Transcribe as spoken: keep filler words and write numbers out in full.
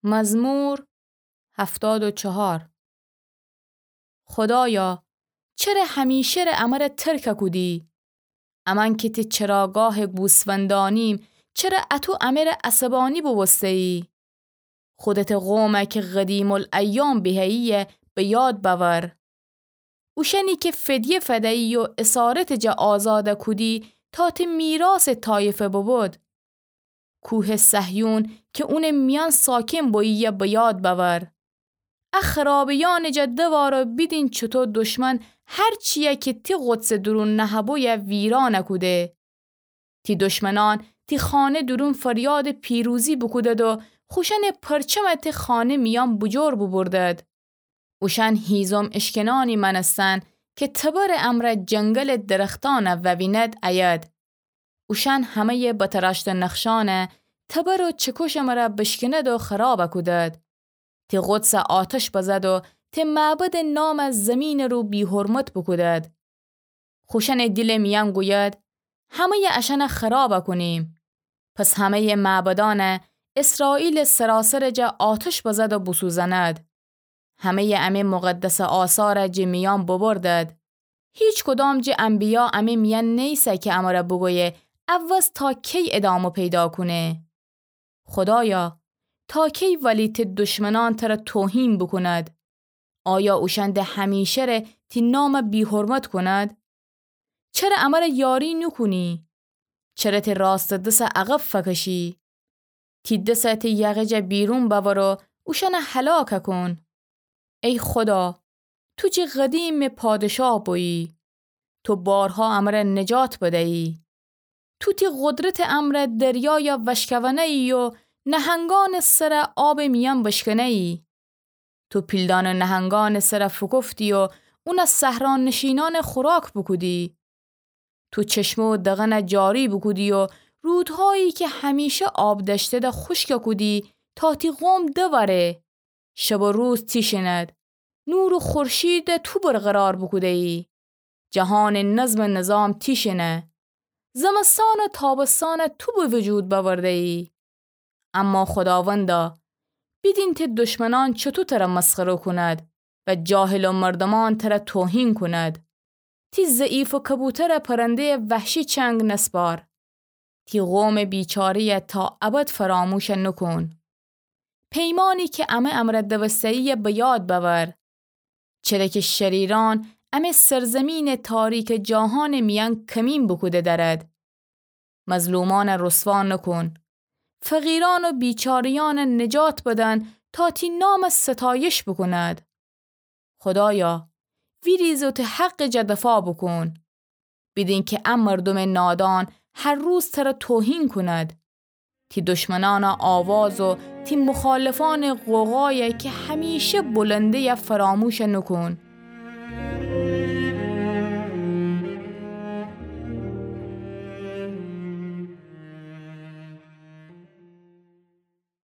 مزمور هفتاد و چهار. خودایا، چره همیشه ره امه ره ترک کودی؟ امأن کی تی چراگاه گوسفندانیم، چره اطو امه ره عصبانی بوبوسته‌یی؟ خودته قومه کی قدیم‌الایام بیهه‌یی‌یه به یاد بأور. اوشأنی کی فدیه فده‌یی و اسارتٚ جا آزاد کودی تا تی میراثٚ طایفه ببود. کوهٚ صهیون کی اونٚ میأن ساکن بویی‌یه به یاد بأور. ا خرابه‌یأنٚ جا دوار و بیدین چوطو دشمن هر چی‌یه کی تی قدسٚ دورون نهه‌بویه ویران کوده. تی دشمنأن تی خانه دورون فریادٚ پیروزی بوکودد و خوشأنٚ پرچمه تی خانه میأن بوجور بوبوردد. اوشأن هیزم اشکنأنی مأنستن کی تبرٚ امرأ جنگلٚ درختأنه ووینید ایید. اوشأن همه‌یٚ بتراشته نقشأنه تبر و چکشٚ مره بشکند و خراب کودد. تی قدسه آتش بزد و تی معبدٚ نامه زیمینٚ رو بی‌حرمت بوکودد. خوشأنٚ دیلٚ میأن گوید: همه‌یٚ اشأنه خراب کونیم. پس همه‌یٚ معبدأنه اسرائیلٚ سراسرٚ جا آتش بزد و بوسوزند. همه‌یٚ امه مقدسٚ آثاره جٚه میأن ببردد. هیچکدام جٚه انبیا امه میأن نیسه کی امره بوگویه: عوض تا کی ادامه پیدا کونه؟ خودایا، تا کی ولی تی دشمنأن تره توهین بوکوند؟ آیا اوشأن د همیشه ره تی نامه بی‌حرمت کونید؟ چره امره یاری نوکونی؟ چره تی راستٚ دسه عقب فکشی؟ تی دسه تی یقه جا بیرون بأور و اوشأنه هلاک کون. ای خودا، تو جٚه قدیم می پادشاه بویی. تو بارها امره نجات بدیی. تو تی قدرتٚ امرأ دریایا وشکونه‌یی و نهنگأنٚ سره آبٚ میأن بشکنه‌یی. تو پیلدانٚ نهنگأنٚ سره فوکفتی و اونه صحرانشینأنٚ خوراک بوکودی. تو چشمه و دغنه جاری بوکودی و رودهایی کی همیشه آب دأشتده خوشک کودی تا تی قوم دوأره. شب و روز تیشینید. نور و خورشید تو برقرار بوکوده‌یی. جهانٚ نظم و نظام تیشینه. زمستان و تابستان تو به وجود بأورده‌یی. اما خوداوندا، بیدین تی دشمنأن چوطو تره مسخره کونید و جاهلٚ مردومأن تره توهین کونید. تی ضعیفٚ کبوتره پرنده‌یٚ وحشی چنگ نسپار. تی قومٚ بیچاره‌یه تا ابد فراموش نوکون. پیمانی کی امه امرأ دوسته‌یی‌یه به یاد بأور. چره کی شریرأن امه سرزمینٚ تاریکٚ جاهانٚ میأن کمین بوکوده دأرد. مظلومأنه رسوا نوکون. فقیرأن و بیچاره‌یأنه نجات بدن تا تی نامه ستایش بوکونید. خودایا، ویریز و تی حقٚ جا دفاع بوکون. بیدین کی ا مردومٚ نادان هر روز تره توهین کونید. تی دشمنأنٚ آواز و تی مخالفأنٚ غوغایه کی همیشه بلنده‌یه فراموش نوکون.